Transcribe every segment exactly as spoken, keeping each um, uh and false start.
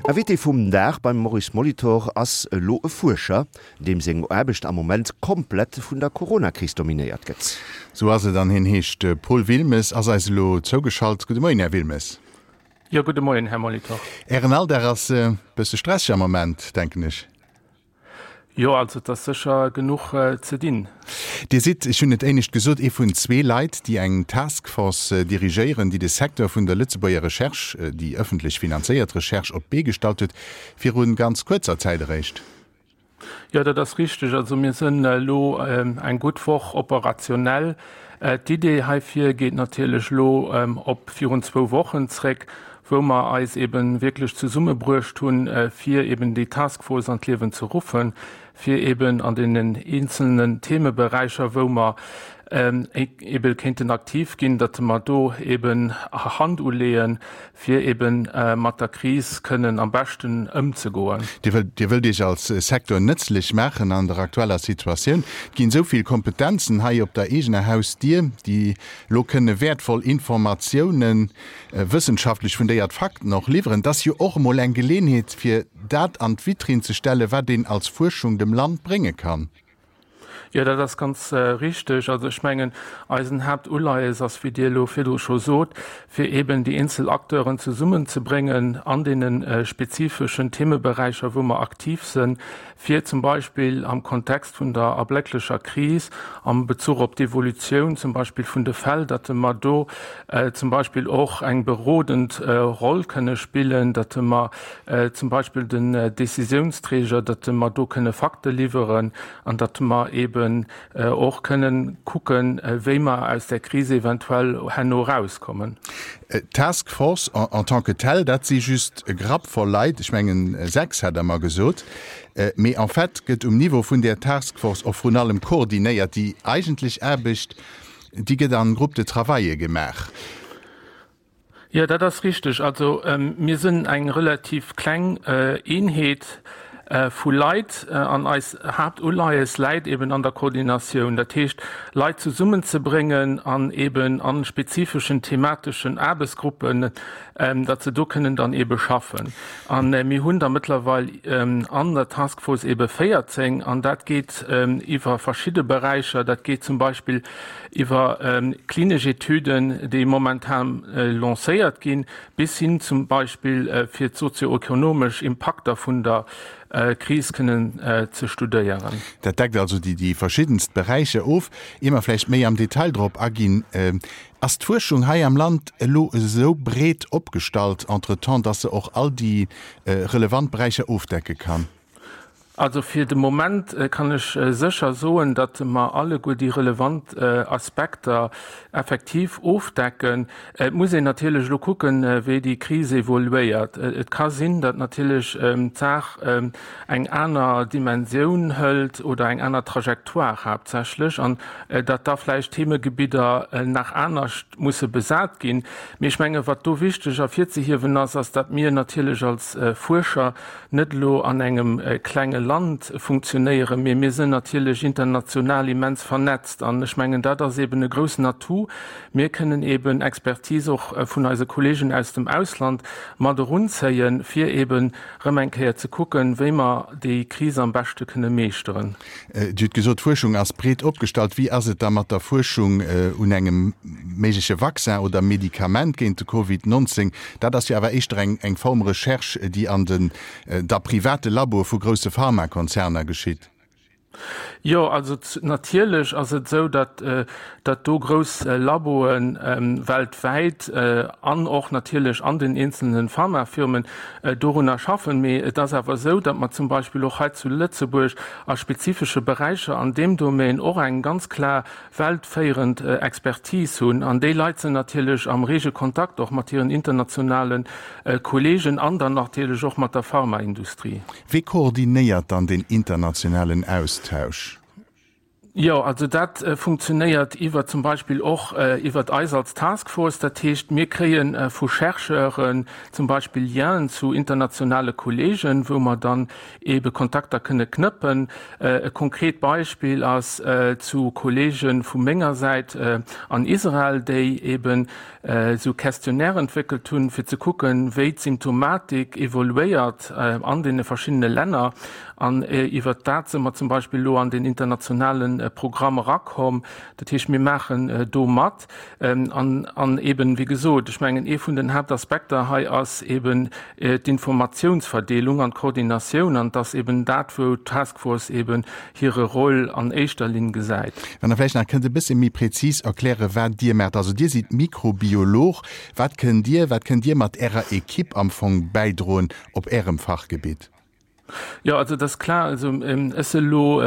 Invité vum Dag beim Maurice Molitor ass elo e Fuerscher, deem seng Aarbecht am Moment komplett vun der Coronakris dominéiert gëtt. Sou ass et an hien heescht Paul Wilmes, ass eis elo zougeschalt. Gudde Moien, Här Wilmes. Jo, gudde Moien, Här Molitor. Ären Alldag ass e bësse stresseg am Moment, denken ech. Jo, also et ass sécher genuch ze dinn. Dir sidd, ech hunn et éinescht gesot, ee vun zwee Leit, déi eng Task Force dirigéieren, déi de Secteur vun der Lëtzebuerger Recherche, déi ëffentlech finanzéiert Recherche, op d'Bee gestallt huet, viru ganz kuerzer Zäit eréischt. Jo, dat ass richteg. Also mir sinn elo eng gutt Woch operationell. D'Idee heifir geet natierlech elo op virun zwou Wochen zréck, wou mer eis eben wierklech zesummebruecht hunn, fir eben déi Task Force an d'Liewen ze ruffen, fir eben an deenen eenzelnen Themeberäicher, wou mer ebe kéinten aktiv ginn, datt mer do eben Hand uleeën, fir eben mat der Kris kënnen am beschten ëmzegoen. Dir wëllt, Dir wëllt Iech als Secteur nëtzlech maachen an der aktueller Situatioun. Et ginn esou vill Kompetenzen hei op der eegener Hausdier, déi elo kënne wäertvoll Informatiounen, wëssenschaftlech fundéiert Fakten och liwweren. Et ass jo och emol eng Geleenheet, fir dat an d'Vitrinn ze stellen, wat een als Fuerschung dem Land brénge kann. Jo, dat ass ganz richteg. Also ech mengen, eisen Haaptuleies ass, wéi Dir elo virdru scho sot, fir eeben déi eenzel Acteuren zesummenzebréngen an deene spezifeschen Themeberäicher, wou mer aktiv sënn, fir zum Beispill am Kontext vun der erblécklecher Kris, am Bezuch op d'Evolutioun zum Beispill vun de Fäll, datt mer do zum Beispill och eng berodend Roll kënne spillen, datt mer zum Beispill den Décisiounsträger, datt mer do kënne Fakte liwweren an datt mer eeben och kënnen kucken, wéi mer aus där Kris eventuell herno erauskommen. D'Task Force en tant que telle, dat si just e Grapp voll Leit, ech mengen sechs hat Der mer gesot, mee en fait gëtt um Niveau vun där Task Force och vrun allem koordinéiert. Déi eigentlech Aarbecht, déi gëtt an Groupes de travaille gemaach. Jo, dat ass richteg. Also mir sinn eng relativ kleng Eenheet vu Leit an eis Haaptuleies läit eben an der Koordinatioun, dat heescht Leit zesummenzebréngen an eben a spezifeschen themateschen Aarbechtsgruppen, datt se do kënnen dann ebe schaffen. A mir hunn der mëttlerweil an der Task Force ebe véierzéng an dat geet iwwer verschidde Beräicher. Dat geet zum Beispill iwwer klinesch Etüden, déi momentan lancéiert ginn, bis hin zum Beispill fir d'sozioekonomesch Impakter vun der Kris kënnen ze studéieren. Dat deckt also déi verschiddenst Beräicher of. Ier mer vläicht méi am Detail drop aginn, Ass d'Fuerschung hei am Land elo esou breet opgestallt entretemps, dass se och all déi relevant Beräicher ofdecke kann? Also fir de Moment kann ech sécher soen, datt mer alleguer déi relevant Aspekter effektiv ofdecken. Et muss een natierlech elo kucken, wéi déi Kris evoluéiert. Et ka sinn, datt natierlech d'Saach eng aner Dimensioun hëlt oder eng aner Trajectoire haaptsächlech an datt da vläicht Themegebidder nach anescht musse besat ginn. Mee ech menge wat do wichteg ervirzehiewen ass, ass, datt mir natierlech als Fuerscher net elo an engem klenge Land funktionéieren, mee mir sinn natierlech international immens vernetzt. An ech mengen, dat ass eeben e groussen Atout. Mir kënnen eeben Expertise och vun eise Kolleegen aus dem Ausland mat erunzéien, fir eeben erëm eng Kéier ze kucken, wéi mer déi Kris am beschte kënne meeschteren. Dir hutt gesot, d'Fuerschung ass breet opgestallt. Wéi ass et da mat der Fuerschung un engem méigleche Vaccin oder Medikament géint de Covid neunzéng? Dat ass jo awer éischter eng Form Recherche, déi an den da private Laboe vu grousse Pharmakonzerner geschitt. Jo, also natierlech ass et esou, datt datt do grouss Laboe weltwäit an och natierlech an den eenzelne Pharmafirmen dorunner schaffen. Mee et ass awer esou, datt mer zum Beispill och hei zu Lëtzebuerg a spezifesche Beräicher an deem Domaine och eng ganz klar weltféierend Expertise hunn. An déi Leit sinn natierlech am rege Kontakt och mat hiren internationale Kolleegen an dann natierlech och mat der Pharmaindustrie. Wee koordinéiert dann deen internationalen Austausch? Jo, also dat funktionéiert iwwer zum Beispill och iwwert eis als Taskforce. Dat heescht, mir kréie vu Chercheuren zum Beispill Lienen zu internationale Kolleegen, wou mer dann eebe Kontakter kënne knëppen. E konkret Beispill ass zu Kolleege vu menger Säit an Israel, déi eeben esou Questionnaire entwéckelt hunn, fir ze kucken, wéi d'Symptomatik evoluéiert an deene verschiddene Länner. An iwwert dat si mer zum Beispill elo an deen internationale Programm erakomm. Dat heescht, mir maachen do mat. An, an eben, wéi gesot, ech mengen, ee vun den Haaptaspekter hei ass eben d'Informatiounsverdeelung an d'Koordinatioun. An et ass eben dat, wou d'Task Force eben hire Rôle an éischter Linn gesäit. Wann Der vläicht nach kënnt e bësse méi prezis erklären, wat Dir maacht. Also Dir sidd Mikrobiolog. Wat kënnt Dir, wat kënnt Dir mat Ärer Ekipp am Fong bäidroen op Ärem Fachgebitt? Jo, also et ass klar, also ech si elo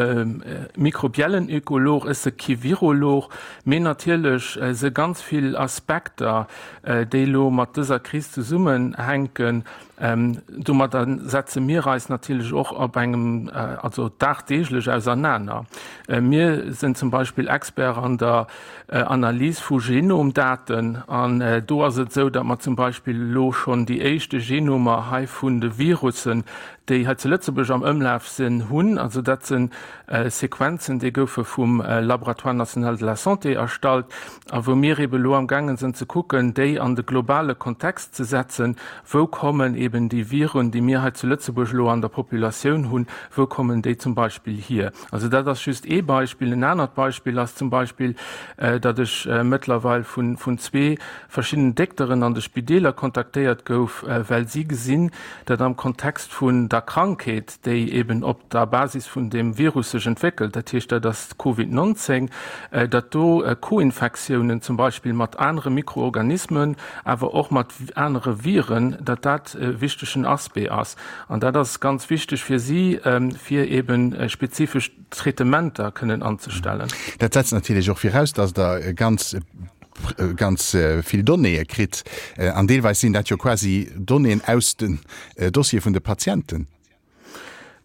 mikrobiellen Ökolog, ech si kee Virolog, mee natierlech si ganz vill Aspekter, déi elo mat dëser Kris zesummenhänken. Domadder setze mir eis natierlech och op engem, also dagdeeglech ausernaner. Mir sinn zum Beispill Expert an der Analys vu Genomdaten an do ass et esou, datt mer zum Beispill elo schonn déi éischte Genomer hei vun de Virussen, déi hei zu Lëtzebuerg am Ëmlaf sinn, hunn. Also dat si Sequenzen, déi goufe vum Laboratoire national de la santé erstallt a wou mir eebe elo amgaangen sinn ze kucken, déi an de globale Kontext ze setzen, Wou kommen eben déi Viren, déi mir hei zu Lëtzebuerg elo an der Populatioun hunn, wou kommen déi zum Beispill hier? Also dat ass just ee Beispill. En anert Beispill ass zum Beispill, datt ech mëttlerweil vun vun zwee verschiddenen Dékteren an de Spideeler kontaktéiert gouf, well si gesinn, datt am Kontext vun der Krankheet, déi eben op der Basis vun deem Virus sech entwéckelt, dat heescht dat ass d'Covid neunzéng, datt do Co-Infektiounen zum Beispill mat anere Mikroorganismen, awer och mat anere Viren, datt dat e wichtegen Aspect ass. An dat ass ganz wichteg fir si, fir eben spezifesch Traitementer kënnen anzestellen. Dat setzt natierlech och viraus, datt Der ganz, ganz vill Donnéeë kritt. An deelweis sinn dat jo quasi Donnéeën aus den Dossiere vun de Patienten.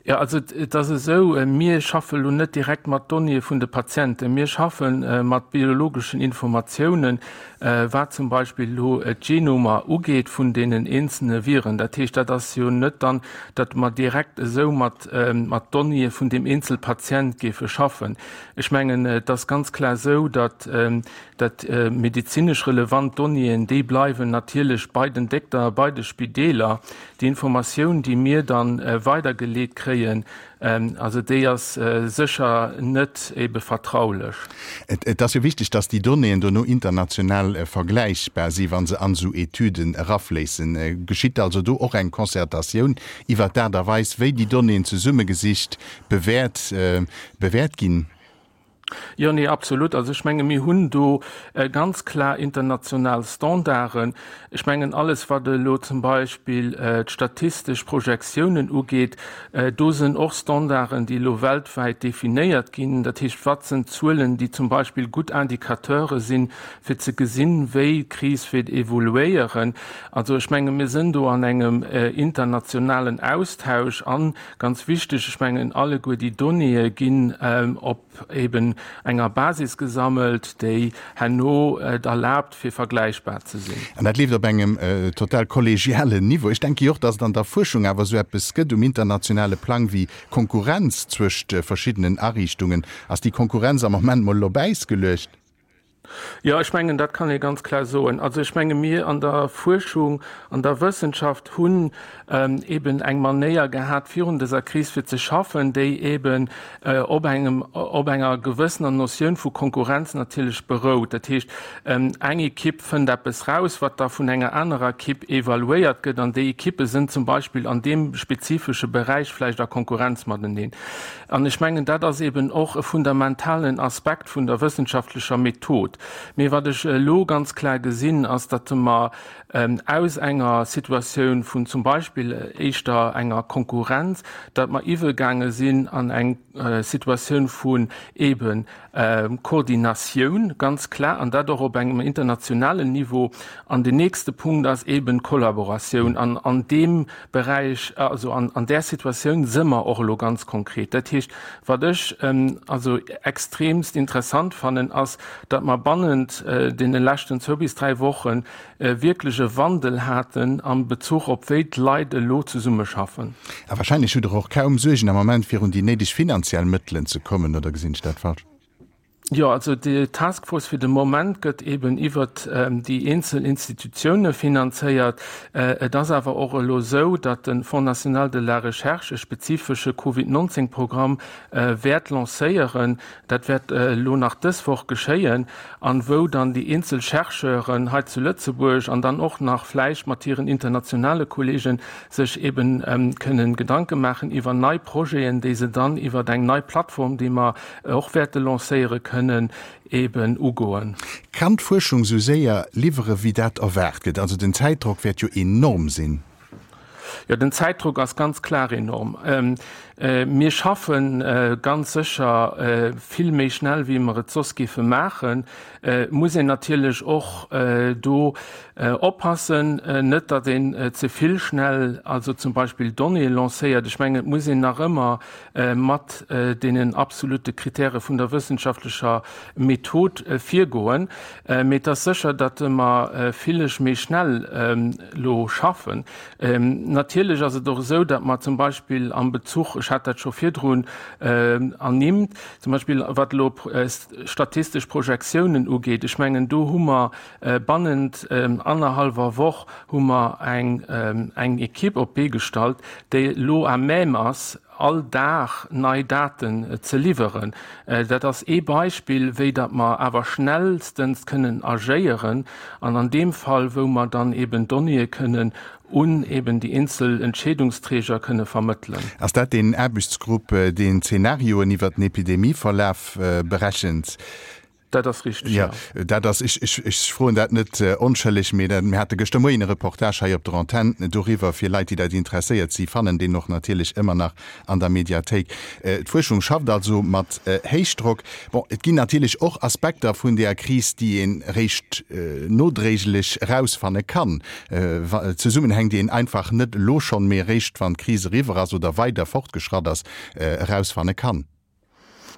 Jo, also et ass esou, mir schaffe lo net direkt mat Donnéeë vun de Patienten. Mir schaffe mat biologeschen Informatiounen, wat zum Beispill elo d'Genomer ugeet vun deenen eenzelne Viren. Dat heescht, dat ass jo net dann, datt mer direkt esou mat mat Donnéeë vun deem eenzel Patient géife schaffen. Ech mengen, et ass ganz klar esou, datt datt medezinesch relevant Donnéeën, déi bleiwen natierlech bei den Dékter, bei de Spideeler. Déi Informatioun, déi mir da weidergeleet kréien, also déi ass sécher net ebe vertraulech. Et ass jo wichteg, datt déi Donnéeën dono international vergläichbar sinn, wa se an esou Etüden erafléissen. Geschitt also do och eng Concertatioun iwwert d'Aart a Weis, wéi déi Donnéeën zesummegesicht, bewäert, bewäert ginn? Jo, nee, absolut. Also ech menge mir hunn do ganz klar international Standarden. Ech mengen alles, wat elo zum Beispill d'statistesch Projektiounen ugeet, do sinn och Standarden, déi elo weltwäit definéiert ginn. Dat heescht, wat sinn Zuelen, déi zum Beispill gutt Indicateure sinn, fir ze gesinn, wéi d'Kris wäert evoluéieren. Also ech menge mir sinn do an engem internationalen Austausch an, ganz wichteg, ech mengen alleguer déi Donnéeë ginn op eben enger Basis gesammelt, déi herno et erlaabt, fir vergläichbar ze sinn. An dat leeft op engem total kollegialen Niveau. Ech denke jo och, datt et an der Fuerschung awer esou eppes gëtt um internationale Plang wéi Konkurrenz zwëscht verschiddenen Ariichtungen. Ass déi Konkurrenz am Moment mol op Äis geluecht? Jo, ech mengen, dat kann ee ganz klar soen. Also ech menge mir an der Fuerschung, an der Wëssenschaft hunn eben eng Manéier gehat virun dëser Kris fir ze schaffen, déi eben op engem, op enger gewëssener Notioun vu Konkurrenz natierlech berout. Dat heescht, eng Ekipp fënnt eppes raus, wat da vun enger anerer Ekipp evaluéiert gëtt, an déi Ekippe sinn zum Beispill an deem spezifesche Beräich vläicht a Konkurrenz mateneen. An ech mengen, dat ass eben och e fundamentalen Aspekt vun der wëssenschaftlecher Method. gekuckt. Mee wat ech elo ganz klar gesinn, ass, datt mer aus enger Situatioun vun zum Beispill éischter enger Konkurrenz, datt mer iwwegaange sinn an eng Situatioun vun eeben Koordinatioun, ganz klar, an dat och op engem internationalen Niveau. An den nächste Punkt ass eeben d'Kollaboratioun. An an deem Beräich, also an an där Situatioun si mer och elo ganz konkret. Dat heescht, wat ech also extremst interessant fannen, ass, datt mer bannent deene leschten zwou bis dräi Woche wierklech e Wandel haten am Bezuch op wéi d'Leit elo zesummeschaffen. A wahrscheinlech hutt Der och kaum Suergen am Moment, fir un déi néideg finanziell Mëttelen ze kommen, oder gesinn ech dat falsch? Jo, also déi Task Force fir de Moment gëtt eben iwwert déi eenzel Institutioune finanzéiert. Et ass awer och elo esou, datt de Fonds national de la recherche e spezifesche Covid neunzehn Programm wäert lancéieren. Dat wäert elo nach dës Woch geschéien, an wou dann déi eenzel Chercheuren hei zu Lëtzebuerg an dann och nach vläicht mat hiren internationale Kollegen sech eben kënnen Gedanke maachen iwwer nei Projeten, déi se dann iwwer eng nei Plattform, déi mer och wäerte lancéieren, kënnen eben ugoen. Kann d'Fuerschung sou séier liwwere wéi dat erwaart gëtt? Also den Zäitdrock wäert jo enorm sinn. Jo, den Zäitdrock ass ganz klar enorm. Mir schaffe ganz sécher vill méi schnell, wéi mer et soss géife maachen. Et muss een natierlech och do oppassen, net datt een ze vill schnell, also zum Beispill Donnéeë lancéiert. Ech mengen, et muss een nach ëmmer mat deenen absolute Kritäre vun der wëssenschaftlecher Method virgoen. Mee et ass sécher, datt mer villech méi schnell elo schaffen. Natierlech ass et och esou, datt mer zum Beispill am Bezuch, ech hat dat scho virdrun ernimmt, zum Beispill wat elo statistesch Projektiounen ugeet, ech mengen, do hu mer bannent annerhallwer Woch hu mer eng eng Equipe op d'Bee gestallt, déi elo à même ass, all Dag nei Daten ze liwweren. Dat ass ee Beispill, wéi datt mer awer schnellstens kënnen agéieren an an deem Fall, wou mer dann eben Donnéeë kënnen un eben déi eenzel Entscheedungsträger kënne vermëttelen. Ass dat deen Aarbechtsgrupp, deen Zenarioen iwwert den Epidemieverlaf berechent? Dat ass richteg, jo. Jo, dat ass, ech, ech, ech froen dat net onschëlleg, mee dat, mir hate gëschter Moien e Reportage hei op der Antenn doriwwer. Fir Leit, déi dat interesséiert, si fannen deen och natierlech ëmmer nach an der Mediathéik. D'Fuerschung schafft also mat Héichdrock. Bon, et ginn natierlech och Aspekter vun där Kris, déi een eréischt nodréiglech erausfanne kann, Zesummenhäng, déi een einfach net elo schonn, mee eréischt wann d'Kris eriwwer ass oder weider fortgeschratt ass, erausfanne kann.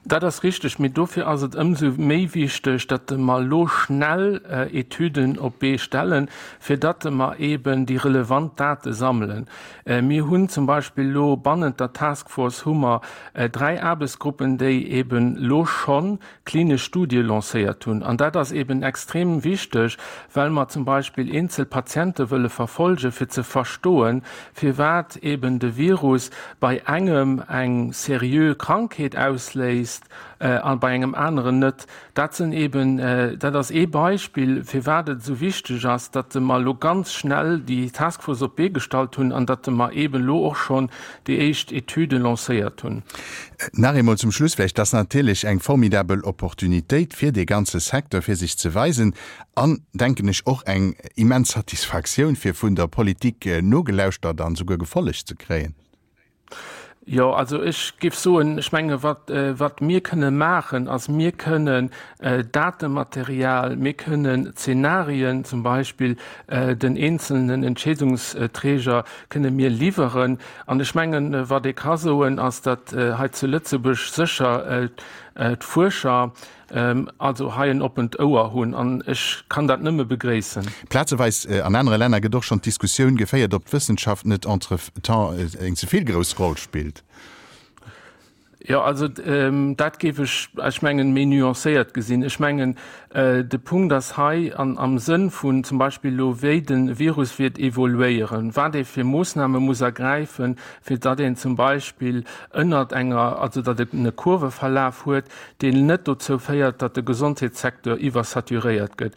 Dat ass richteg, mee dofir ass et ëmsou méi wichteg, datt mer elo schnell Etüden op d'Bee stellen, fir datt mer eeben déi relevant Date sammelen. Mir hunn zum Beispill elo bannent der Task Force hu mer dräi Aarbechtsgruppen, déi eeben elo scho klinesch Studie lancéiert hunn. An dat ass eeben extrem wichteg, well mer zum Beispill eenzel Patiente wëlle verfolgen, fir ze verstoen, firwat eeben de Virus bei engem eng seriö Krankheet ausléist a bei engem aneren net. Dat sinn eeben, dat ass ee Beispill, firwat et esou wichteg ass, datt mer elo ganz schnell déi Task Force op d'Bee gestallt hunn an datt mer eeben elo och schonn déi éischt Etüde lancéiert hunn. Nach eemol zum Schluss vläicht, Dat ass natierlech eng formidabel Opportunitéit fir dee ganze Secteur, fir sech ze weisen an, denken ech, och eng immens Satisfaktioun, fir vun der Politik nogelauschtert an esouguer gefollegt ze kréien. Jo, also ech géif soen, ech menge wat, wat mir kënne maachen, ass mir kënnen Datematerial, mir kënnen Zenarien zum Beispill den eenzelnen Entscheedungsträger kënne mir liwweren. An ech mengen, wat ee ka soen, ass, datt hei zu Lëtzebuerg sécher d'Fuerscher also hei en oppent Ouer hunn an ech kann dat nëmme begréissen. Plazeweis an anere Länner gëtt och schonn d'Diskussioun geféiert, ob d'Wëssenschaft net entretemps eng ze vill grouss Roll spillt. Jo, also dat géif ech, ech mengen, méi nuancéiert gesinn. Ech mengen, de Punkt ass hei an am Sënn vun zum Beispill elo, wéi de Virus wäert evoluéieren, wat ee fir Moossname muss ergräifen, fir datt een zum Beispill ënnert enger, also datt en e Kurveverlaf huet, deen net dozou féiert, datt de Gesondheetssecteur iwwersaturéiert gëtt.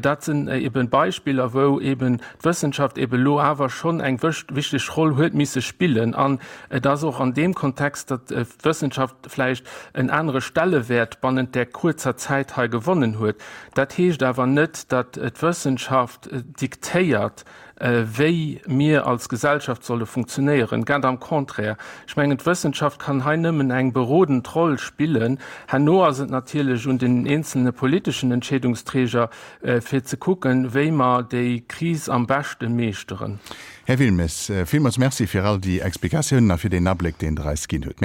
Dat sinn eben Beispiller, wou eben d'Wëssenschaft eben elo awer schonn eng wichteg Roll huet misse spillen. An et ass och an deem Kontext, datt d'Wëssenschaft d'Wëssenschaft vläicht en anere Stellewäert bannent där kuerzer Zäit hei gewonnen huet. Dat heescht awer net, datt d'Wëssenschaft diktéiert, wéi mir als Gesellschaft solle funktionéieren. Ganz am Contraire. Ech mengen, d'Wëssenschaft kann hei nëmmen eng berodend Roll spillen. Herno ass et natierlech un den eenzelne politeschen Entscheedungsträger, fir ze kucken, wéi mer déi Kris am beschte meeschteren. Här Wilmes, villmools Merci fir all déi Explikatiounen a fir deen Abléck, deen Der eis ginn hutt.